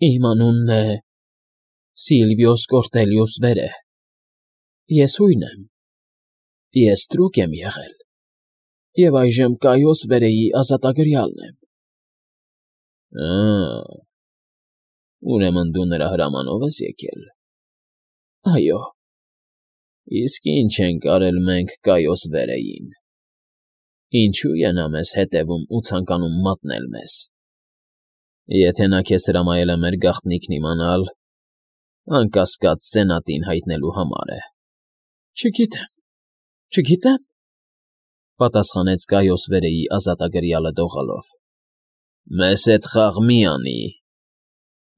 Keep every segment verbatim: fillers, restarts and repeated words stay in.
Իմ անունն է Սիլվիոս Կորտելիուս Վերը, ես հույն եմ, ես ստրուկ եմ եղել և այժմ Կայոս Վերեի ազատագրյալն եմ։ ֊ Ա՜, ուրեմն դու նրա հրամանով ես եկել։ ֊ Այո։ ֊ Իսկ ի՞նչ ենք արել մենք Կայոս Վերեին, ինչո՞ւ է նա մեզ հետևում ու ցանկանում մատնել մեզ։ Եթե նա քեզ հրամայել է մեր գաղտնիքն իմանալ, անկասկած սենատին հայտնելու համար է։ ֊ Չգիտեմ, չգիտեմ,֊ պատասխանեց Կայոս Վերեի ազատագրյալը դողալով։ ֊ Մեզ հետ խաղ մի անի,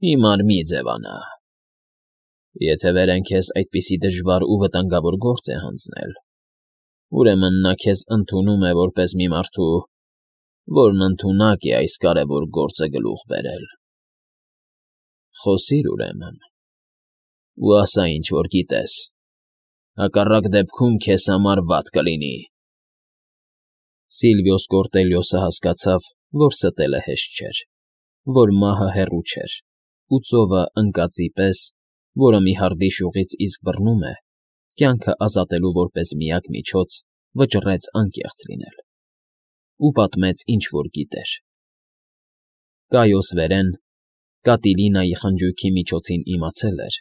հիմար մի ձևանա։ Եթե Վերեն քեզ այդպիսի դժվար ու վտանգավոր գործ է հանձնել, ուրեմն նա քեզ ընդունում է որպես մի մարդու, որն ընդունակ է այս կարևոր գործը գլուխ բերել։ Խոսիր, ուրեմն, ու ասա, ինչ որ գիտես, հակառակ դեպքում քեզ համար վատ կլինի։ Սիլվիոս Կորտելիոսը հասկացավ, որ ստելը հեշտ չէր, որ մահը հեռու չէր, ու ծովը ընկածի պես, որը մի հրդի շուղից իսկ բռնում է, կյանքը ազատելու որպես միակ միջոց, վճռեց անկեղծ լինել։ Ու պատմեց, ինչ որ գիտեր։ Կայոս Վերեն Կատիլինայի խնջույքի միջոցին իմացել էր,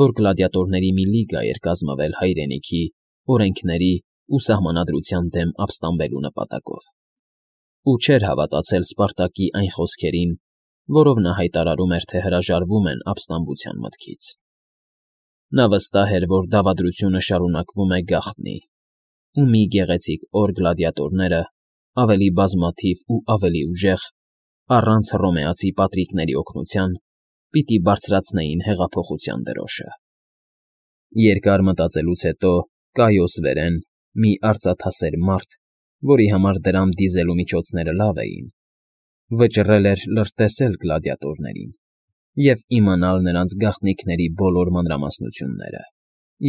որ գլադիատորների մի լիգա էր կազմվել հայրենիքի, օրենքների ու սահմանադրության դեմ ապստամբելու նպատակով, ու չէր հավատացել Սպարտակի այն խոսքերին, որով նա հայտարարում էր, թե հրաժարվում են ապստամբության մտքից։ Նա վստահ էր, որ դավադրությունը շարունակվում է գաղտնի, ու մի գեղեցիկ օր գլադիատորները, ավելի բազմաթիվ ու ավելի ուժեղ, առանց հռոմեացի պատրիկների օգնության, պիտի բարձրացնեին հեղափոխության դրոշը։ Երկար մտածելուց հետո Կայոս Վերեն, մի արծաթասեր մարդ, որի համար դրամ դիզելու միջոցները լավ էին, վճռել էր լրտեսել գլադիատորներին և իմանալ նրանց գաղտնիքների բոլոր մանրամասնությունները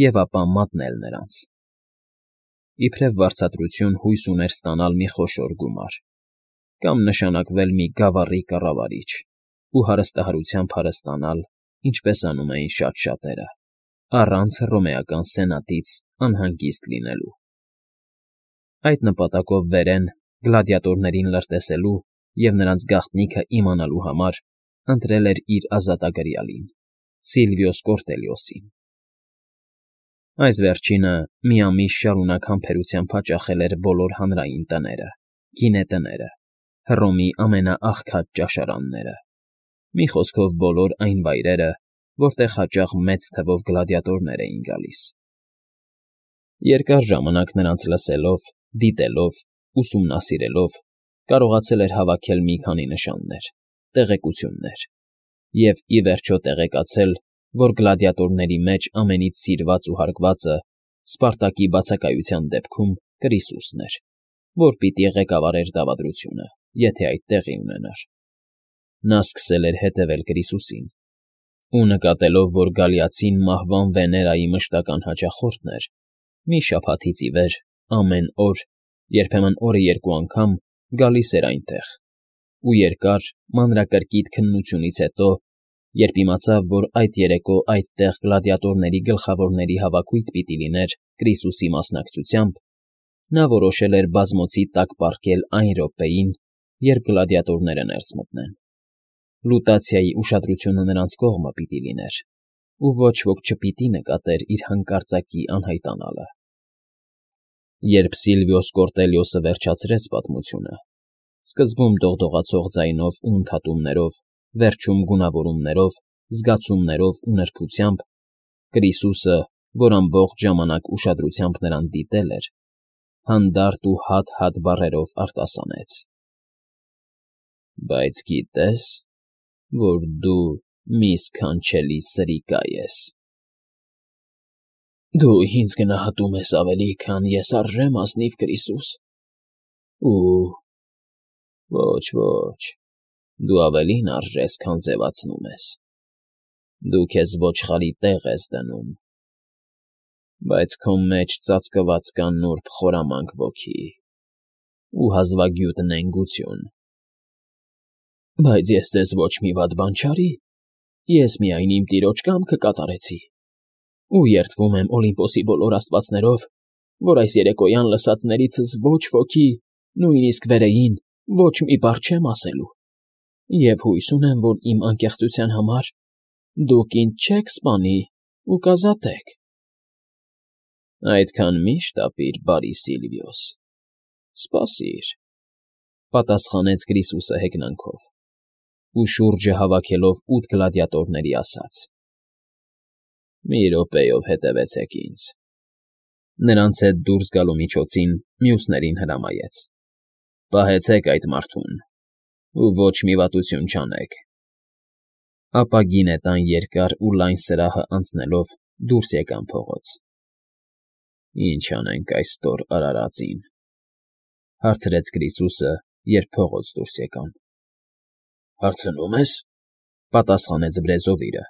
և ապա մատնել նրանց։ Իբրև վարձատրություն հույս ուներ ստանալ մի խոշոր գումար կամ նշանակվել մի գավառի կառավարիչ ու հարստահարությամբ հարստանալ, ինչպես անում էին շատ շատերը, առանց հռոմեական սենատից անհանգիստ լինելու։ Այդ նպատակով Վերեն, գլադիատորներին լրտեսելու և նրանց գաղտնիքը իմանալու համար, ընտրել էր իր ազատագրյալին՝ Սիլվիոս Կորտելիոսին։ Այս վերջինը մի ամիս շարունակ համբերությամբ հաճախել էր բոլոր հանրային տները, գինետները, Հռոմի ամենաաղքատ ճաշարանները, մի խոսքով բոլոր այն վայրերը, որտեղ հաճախ մեծ թվով գլադիատորներ էին գալիս։ Երկար ժամանակ նրանց լսելով, դիտելով, ուսումնասիրելով, կարողացել էր հավաքել մի քանի նշաններ, տեղեկություններ և, ի վերջո, տեղեկացել, որ գլադիատորների մեջ ամենից սիրված ու հարգվածը Սպարտակի բացակայության դեպքում Կրիսուսն էր, որ պիտի ղեկավարեր դավադրությունը, եթե այդ տեղի ունենար։ Նա սկսել էր հետևել Կրիսուսին ու, նկատելով, որ գալիացին մահվան Վեներայի մշտական հաճախորդն էր, մի շաբաթից ի վեր ամեն օր, երբեմն օրը երկու անգամ, գալիս էր այնտեղ, ու երկար, մանրակրկիտ քննությունից հետո, երբ իմացավ, որ այդ երեկո այդտեղ գլադիատորների գլխավորների հավաքույթ պիտի լիներ Կրիսուսի մասնակցությամբ, նա որոշել էր բազմոցի տակ պառկել այն րոպեին, երբ գլադիատորները ներս մտնեն։ Լուտացիայի ուշադրությունը նրանց կողմը պիտի լիներ, ու ոչ ոք չպիտի նկատեր իր հանկարծակի անհայտանալը։ Երբ Սիլվիոս Կորտելիոսը վերջացրեց պատմությունը, սկզբում դողդողացող ձայնով ու ընդհատումներով, վերջում գունավորումներով, զգացումներով ու նրբությամբ, Կրիսուսը, որ ամբողջ ժամանակ ուշադրությամբ նրան դիտել էր, հանդարտ ու հատ֊հատ բառերով արտասանեց. «Բայց գիտե՞ս, որ դու մի սքանչելի սրիկա ես»։ ֊ Դու ինձ գնահատում ես ավելի, քան ես արժե՞մ, ազնիվ Կրիսուս։ ֊ Ու՛, ոչ, ոչ, դու ավելին արժես, քան ձևացնում ես, դու քեզ ոչխարի տեղ ես դնում, բայց քո մեջ ծածկված կա նուրբ խորամանկ ոգի ու հազվագյուտ նենգություն։ ֊ Բայց ես ձեզ ոչ մի վատ բան չարի։ ես միայն իմ տիրոջ կամքը կատարեցի, ու երդվում եմ Օլիմպոսի բոլոր աստվածներով, որ այս երեկոյան լսածներիցս ոչ ոքի, նույնիսկ վերեին, ոչ մի բառ չեմ ասելու, և հույս ունեմ, որ իմ անկեղծության համար դուք ինձ չեք սպանի ու կազատեք։ ֊ Այդքան մի՛ շտապիր, բարի Սիլվիոս, սպասիր,֊ պատասխանեց Կրիսուսը հեգնանքով, ու շուրջը հավաքելով ութ գլադիատորների ասաց. «Մի րոպեով հետևեցեք ինձ»։ Նրանց հետ դուրս գալու միջոցին մյուսներին հրամայեց. «Պահեցեք այդ մարդուն ու ոչ մի վատություն չանեք»։ Ապա գինետան երկար ու լայն սրահը անցնելով դուրս եկան փողոց։ ֊ Ի՞նչ անենք այս ստոր արարածին,֊ հարցրեց Կրիսուսը, երբ փողոց դուրս եկան։ ֊ Հարցնո՞ւմ ես,֊ պատասխանեց բրեզովիրը,֊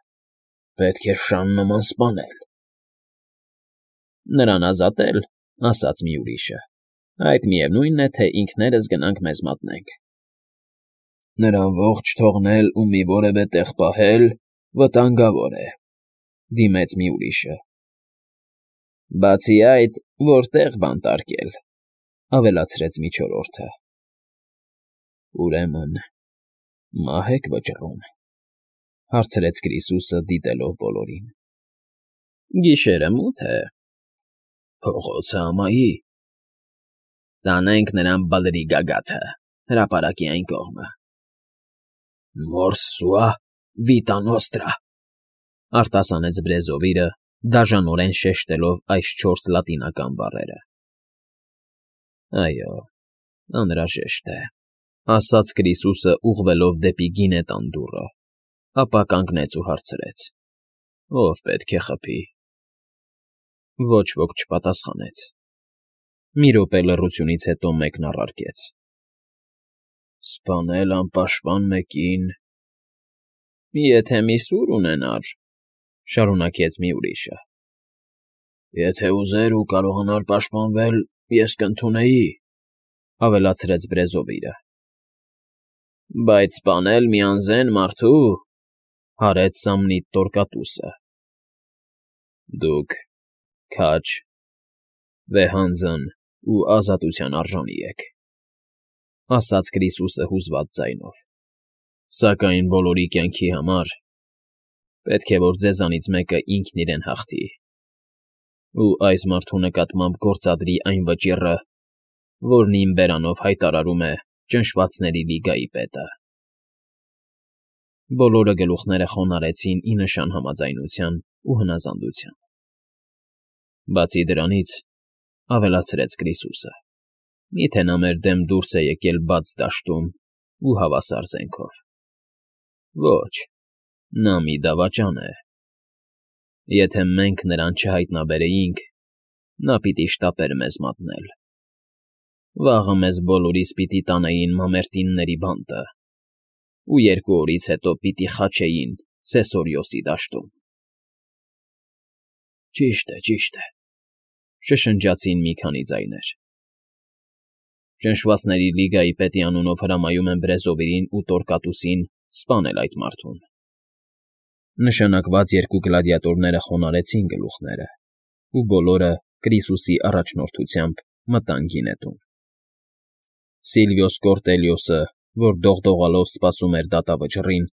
պետք է շան նման սպանել։ ֊ Նրան ազատե՞լ,֊ ասաց մի ուրիշը,֊ այդ միևնույն է, թե ինքներս գնանք մեզ մատնենք։ ֊ Նրան ողջ թողնել ու մի որևէ տեղ պահել վտանգավոր է,֊ դիմեց մի ուրիշը։ ֊ Բացի այդ, որտե՞ղ բանտարկել,֊ ավելացրեց մի չորրորդը։ ֊ Ուրեմն մա՞հ եք վճռում,֊ հարցրեց Կրիսուսը, դիտելով բոլորին։ ֊ Գիշերը մութ է։ ֊ Փողոցը ամայի։ ֊ Տանենք նրան Բլրի գագաթը, հրապարակի այն կողմը։ ֊ Մորս սուա վիտա նոստրա,֊ արտասանեց բրեզովիրը, դաժանորեն շեշտելով այս չորս լատինական բառերը։ ֊ Այո, անհրաժեշտ է,֊ ասաց Կրիսուսը, ուղղվելով դեպի գինետան դուռը, ապա կանգնեց ու հարցրեց. «Ո՞վ պետք է խփի»։ Ոչ ոք չպատասխանեց։ Մի րոպե լռությունից հետո մեկն առարկեց. «Սպանել անպաշտպան մեկին…»։ «Եթե մի սուր ունենար,֊ շարունակեց մի ուրիշը։ ֊ Եթե ուզեր ու կարողանար պաշտպանվել, ես կընդունեի,֊ ավելացրեց բրեզովիրը։ ֊ Բայց սպանել մի անզեն մարդու…֊ հարեց Սամնիտ Տորկատուսը։ ֊ Դուք քաջ, վեհանձն ու ազատության արժանի եք,֊ ասաց Կրիսուսը հուզված ձայնով,֊ սակայն բոլորի կյանքի համար պետք է, որ ձեզանից մեկը ինքն իրեն հաղթի ու այս մարդու նկատմամբ գործադրի այն վճիռը, որն իմ բերանով հայտարարում է Ճնշվածների Լիգայի պետը։ Բոլորը գլուխները խոնարհեցին ի նշան համաձայնության ու հնազանդության։ Բացի դրանից,֊ ավելացրեց Կրիսուսը,֊ մի՞թե նա մեր դեմ դուրս է եկել բաց դաշտում ու հավասար զենքով։ Ոչ, նա մի դավաճան է։ Եթե մենք նրան չհայտնաբերեինք, նա պիտի շտապեր մեզ մատնել։ Վաղը մեզ բոլորիս պիտի տանեին մամերտինների բանտը ու երկու օրից հետո պիտի խաչեին Սեսորիոսի դաշտում։ ֊ Ճիշտ է, ճիշտ է,֊ շշնջացին մի քանի ձայներ։ Ճնշվածների Լիգայի պետի անունով հրամայում եմ Բրեզովիրին ու Տորկատուսին սպանել այդ մարդուն։ Նշանակված երկու գլադիատորները խոնարհեցին գլուխները, ու բոլորը Կրիսուսի առաջնորդությամբ մտան գինետուն։ Սիլվիոս Կորտելիոսը, որ դողդողալով սպասում էր դատավճռին,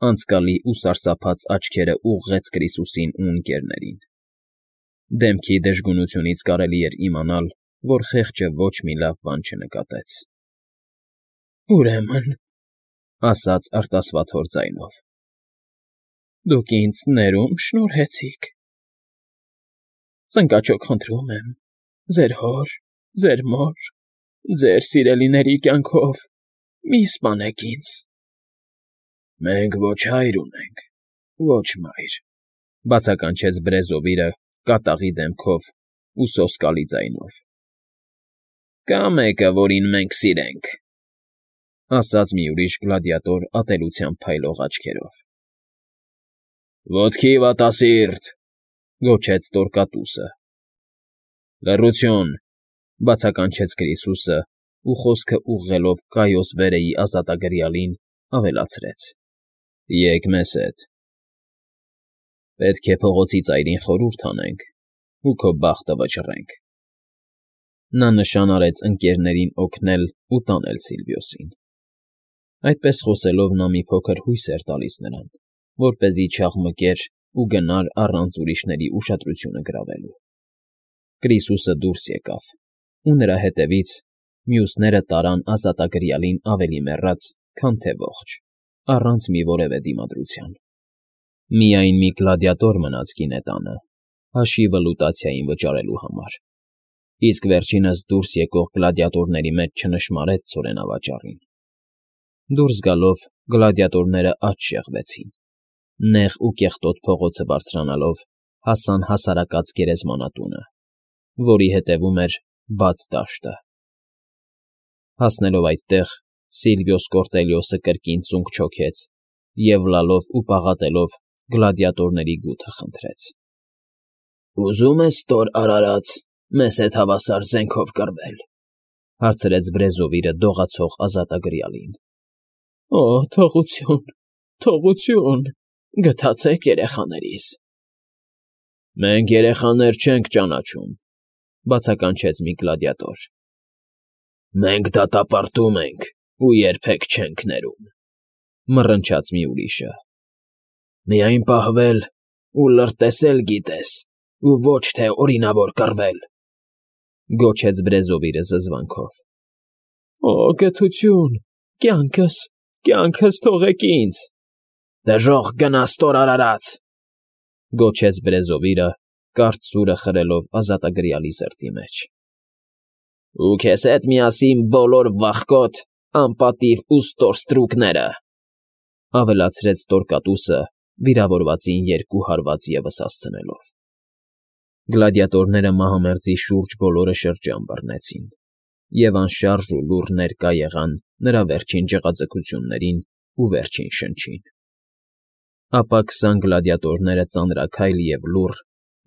անցկալի ու սարսափած աչքերը ուղղեց Կրիսուսին ու ընկերներին։ Դեմքի դժգունությունից կարելի էր իմանալ, որ խեղճը ոչ մի լավ բան չնկատեց։ ֊ Ուրեմն,֊ ասաց արտասվաթոր ձայնով,֊ դուք ինձ ներում շնորհեցիք… Ծնկաչոք խնդրում եմ, ձեր հոր, ձեր մոր, ձեր սիրելիների կյանքով մի՛ սպանեք ինձ։ ֊ Մենք ոչ հայր ունենք, ոչ մայր,֊ բացականչեց Բրեզովիրը կատաղի դեմքով ու սոսկալի ձայնով։ ֊ Կա մեկը, որին մենք սիրենք,֊ ասաց մի ուրիշ գլադիատոր ատելությամբ փայլող աչքերով։ ֊ Ոտքի վատասիրտ,֊ գոչեց Տորկատուսը։ ֊ Լռություն,֊ բացականչեց Կրիսուսը ու խոսքը ուղղելով Կայոս Վերեի ազատագրյալին, ավելացրեց. ֊ Եկ մեզ հետ։ Պետք է փողոցի ծայրին խորհուրդ անենք ու քո բախտը վճռենք։ Նա նշան արեց ընկներներին օգնել ու տանել Սիլվիոսին։ Այդպես խոսելով նա մի փոքր հույս էր տալիս նրան, որպեսզի չաղմկեր ու գնար առանց ուրիշների ուշադրությունը գրավելու։ Կրիսուսը դուրս եկավ, ու նրա հետևից մյուսները տարան ազատագրյալին ավելի մեռած, քան թե ողջ, առանց մի որևէ դիմադրության։ Միայն մի գլադիատոր մնաց գինետանը, հաշիվը լուտացիային վճարելու համար, իսկ վերջինս դուրս եկող գլադիատորների մեջ չնշմարեց ցորենավաճառին։ Դուրս գալով գլադիատորները աջ շեղվեցին, նեղ ու կեղտոտ փողոցը բարձրանալով հասան հասարակած գերեզմանատունը, որի հետևում էր բաց դաշտը։ Հասնելով այդտեղ, Սիլվիոս Կորտելիոսը կրկին ծունկ չոքեց և լալով ու պաղատելով գլադիատորների գութը խնդրեց. «Ուզո՞ւմ ես, Տոր արարած, մեզ հետ հավասար զենքով կռվել,֊ հարցրեց Բրեզովիլը դողացող ազատագրյալին։ ֊ Օ՜, թողություն, թողություն, գթացեք երեխաներիս»։ ֊ Մենք երեխաներ չենք ճանաչում,֊ բացականչեց մի գլադիատոր։ ֊ Մենք դատապարտում ենք ու երբեք չենք ներում,֊ մռնչաց մի ուրիշը։ ֊ Միայն պահվել ու լրտեսել գիտես, ու ոչ թե օրինավոր կռվել,֊ գոչեց Բրեզովիլը զզվանքով։ ֊ Օ, գթություն, կյանքս, կյանքս թողեք ինձ։ ֊ Դժոխք գնաս, Տոր արարած,֊ գոչեց Բրեզովիլը, կարճ սուրը խրելով ազատագրյալի սրտի մեջ։ ֊ Ու քեզ հետ միասին բոլոր վախկոտ, անպատիվ ու ստոր ստրուկները,֊ ավելացրեց Տորկատուսը, վիրավորվածին երկու հարված ևս հասցնելով։ Գլադիատորները մահամերձի շուրջ բոլորը շրջան բռնեցին և անշարժ ու լուռ ներկա եղան նրա վերջին ջղաձգություններին ու վերջին շնչին։ Ապա քսան գլադիատորները ծանրաքայլ և լուռ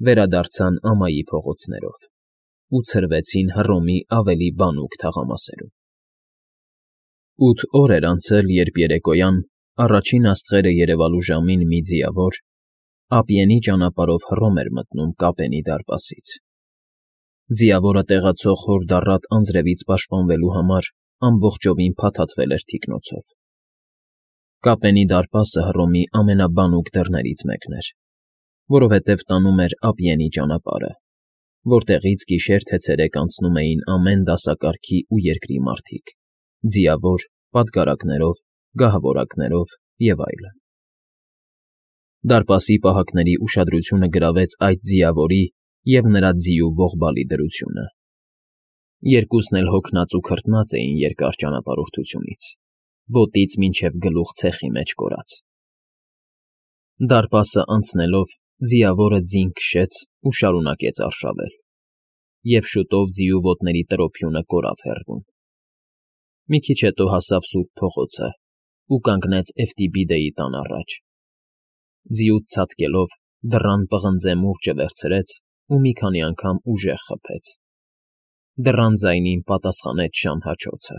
վերադարձան ամայի փողոցներով ու ցրվեցին Հռոմի ավելի բանուկ թաղամասերում։ Ութ օր էր անցել, երբ երեկոյան առաջին աստղերը երևալու ժամին մի ձիավոր ափիենի ճանապարհով Հռոմ էր մտնում Կապենի դարպասից։ Ձիավորը տեղացող հորդառատ անձրևից պաշտպանվելու համար ամբողջովին փաթաթվել էր թիկնոցով։ Կապենի դարպասը Հռոմի ամենաբանուկ դռներից մեկն էր, որովհետև տանում էր Ափիենի ճանապարհը, որտեղից գիշեր թե ցերեկ անցնում էին ամեն դասակարգի ու երկրի մարդիկ՝ ձիավոր, պատգարակներով, գահավորակներով և այլն։ Դարպասի պահակների ուշադրությունը գրավեց այդ ձիավորի և նրա ձիու ողբալի դրությունը։ Երկուսն էլ հոգնած ու քրտնած էին երկար ճանապարհորդությունից, ոտից մինչև գլուխ ցեխի մեջ կորած։ Դարպասը անցնելով՝ ձիավորը ձին քշեց ու շարունակեց արշավել, և շուտով ձիու ոտների տրոփյունը կորավ հեռվում։ Մի քիչ հետո հասավ սուրբ փողոցը ու կանգնեց Էֆտիբիդեի տան առաջ։ Ձիուց ցատկելով՝ դռան պղնձե մուրճը վերցրեց ու մի քանի անգամ ուժեղ խփեց։ Դռան ձայնին պատասխանեց շան հաչոցը։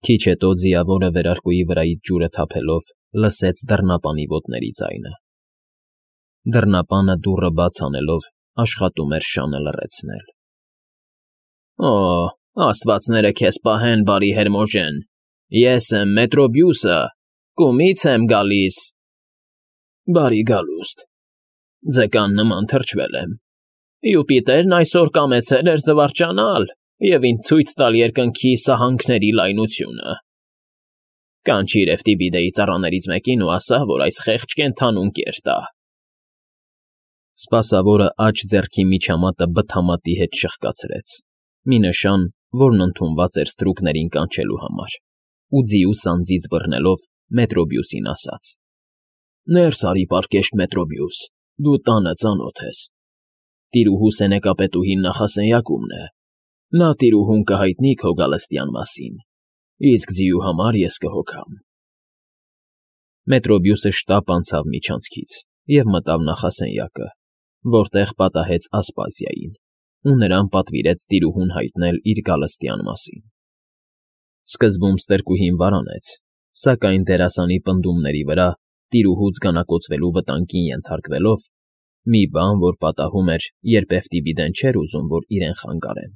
Քիչ հետո ձիավորը վերարկուի վրայից ջուրը թափելով լսեց դռնապանի ոտների ձայնը։ Դռնապանը դուռը բաց անելով աշխատում էր շանը լռեցնել։ ֊ Օ, աստվածները քեզ պահեն, բարի Հերմոժեն, ես եմ Մետրոբիուսը, կումից եմ գալիս։ ֊ Բարի գալուստ, ձկան նման թրջվել եմ։ Յուպիտերն այսօր կամեցել էր զվարճանալ և ինձ ցույց տալ երկնքի սահանքների լայնությունը։ Կանչիր Էֆտիբիդեի ծառաներից մեկին ու ասա, որ այս խեղճ կենդանուն կեր տա։ Սպասավորը աջ ձեռքի միջամատը բթամատի հետ շխկացրեց, մի նշան, որն ընդունված էր ստրուկներին կանչելու համար, ու ձիու սանձից բռնելով Մետրոբիուսին ասաց. ֊ Ներս արի, պարկեշտ Մետրոբիուս, դու տանը ծանոթ ես։ Տիրուհու սենեկապետուհին նախասենյակումն է, նա տիրուհուն կհայտնի քո գալստյան մասին, իսկ ձիու համար ես կհոգամ։ Մետրոբիուսը շտապ անցավ միջանցքից և մտավ նախասենյակը, որտեղ պատահեց Ասպազիային, ու նրան պատվիրեց տիրուհուն հայտնել իր գալստյան մասին։ Սկզբում ստրկուհին վարանեց, սակայն դերասանի պնդումների վրա տիրուհուց գանակոծվելու վտանգին ենթարկվելով, մի բան, որ պատահում էր, երբ Էֆտիբիդեն չէր ուզում, որ իրեն խանգարեն,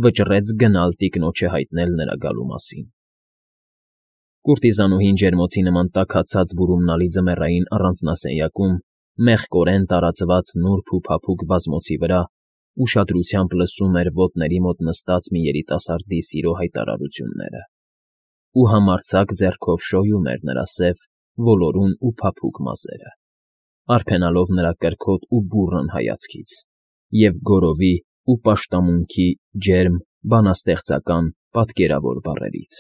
վճռեց գնալ տիկնոջը հայտնել նրա գալու մասին։ Կուրտիզանուհին ջերմոցի նման տաքացած բուրումնալի ձմեռային առանձնասենյակում, մեղկորեն տարածված նուրբ ու փափուկ բազմոցի վրա ուշադրությամբ լսում էր ոտների մոտ նստած մի երիտասարդի սիրո հայտարարությունները ու համարձակ ձեռքով շոյում էր նրա սև, ոլորուն ու փափուկ մազերը, արփենալով նրա կրքոտ ու բուռն հայացքից և գորովի ու պաշտամունքի ջերմ, բանաստեղծական, պատկերավոր բառերից։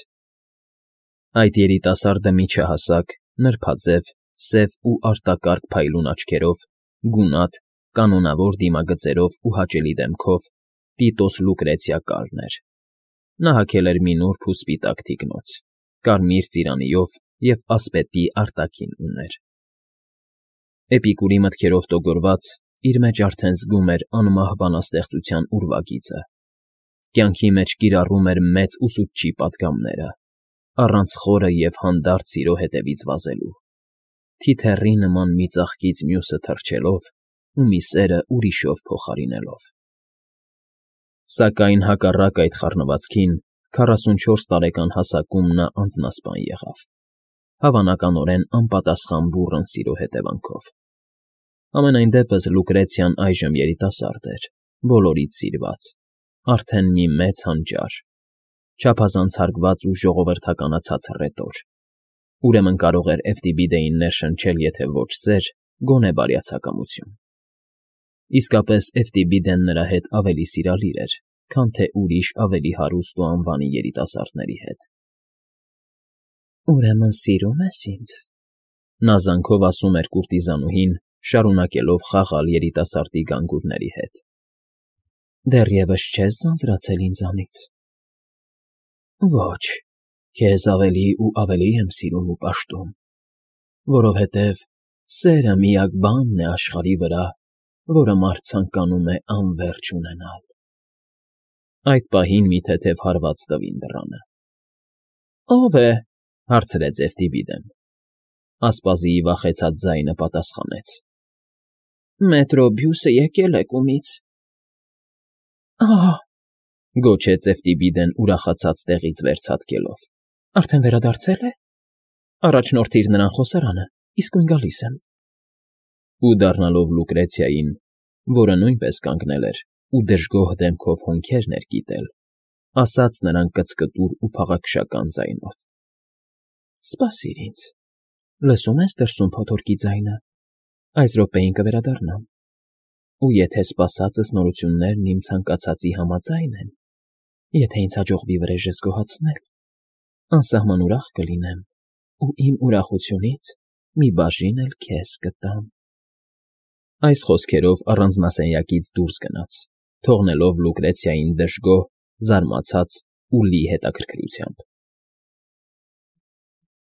Այդ երիտասարդը միջահասակ, նրբաձև, սև ու արտակարգ փայլուն աչքերով, գունատ, կանոնավոր դիմագծերով ու հաճելի դեմքով Տիտոս Լուկրեցիա Կարն էր։ Նա հագել էր մի նուրբ ու սպիտակ թիկնոց, կարմիր ծիրանիով և ասպետի արտաքին ուներ։ Էպիկուրի մտքերով տոգորված, իր մեջ արդեն զգում էր անմահ բանաստեղծության ուրվագիծը, կյանքի մեջ կիրառում էր մեծ ուսուցչի պատգամները, առանց խորը և հանդարտ սիրո հետևից վազելու, թիթեռի նման մի ծաղկից մյուսը թռչելով ու մի սերը ուրիշով փոխարինելով։ Սակայն հակառակ այդ խառնվածքին քառասունչորս տարեկան հասակում նա անձնասպան եղավ, հավանականորեն անպատասխան բուռն սիրո հետևանքով։ Համենայն դեպս Լուկրեցիան այժմ երիտասարդ էր, բոլորից սիրված, արդեն մի մեծ հանճար, չափազանց հարգված ու ժողովրդականացած հռետոր, ուրեմն կարող էր Էֆտիբիդեին ներշնչել եթե ոչ սեր, գոնե բարյացակամություն։ Իսկապես Էֆտիբիդեն նրա հետ ավելի սիրալիր էր, քան թե ուրիշ ավելի հարուստ ու անվանի երիտասարդների հետ։ «Ուրեմն սիրում ես ինձ», նա զանքով ասում էր կուրտիզանուհին, շարունակելով խաղալ երիտասարդի գանգուրների հետ։ «Դեռևս չե՞ս ձանձրացել ինձանից»։ «Ոչ, քեզ ավելի ու ավելի եմ սիրում ու պաշտում, որովհետև սերը միակ բանն է աշխարհի վրա, որը մարդ ցանկանում է անվերջ ունենալ»։ Այդ պահին մի թեթև հարված տվին դռանը։ «Ո՞վ է», հարցրեց Էֆտիբիդեն։ Ասպազիի վախեցած ձայնը պատասխանեց. «Մետրոբյուսը եկել է կումից»։ «Ահ», գոչեց Էֆտիբիդեն ուրախացած տեղից վեր ցատկելով։ «Արդեն վերադարձել է։ Առաջնորդիր նրան խոսարանը, իսկույն գալիս եմ»։ Ու դառնալով Լուկրեցիային, որը նույնպես կանգնել էր ու դժգոհ դեմքով հոնքեր ներկիտել, ասաց նրան կծկտուր ու փաղաքշական ձայնով. «Սպասիր ինձ, լսում ես դրսում փոթորկի ձայնը, այս րոպեին կվերադառնամ, ու եթե սպասածս նորություններն իմ ցանկացածի համաձայն են, եթե ինձ հաջողվի վրեժս գոհացնել, անսահման ուրախ կլինեմ ու իմ ուրախությունից մի բաժին էլ քեզ կտամ»։ Այս խոսքերով առանձնասենյակից դուրս գնաց, թողնելով Լուկրեցիային դժգոհ, զարմացած ու լի հետաքրքրությամբ։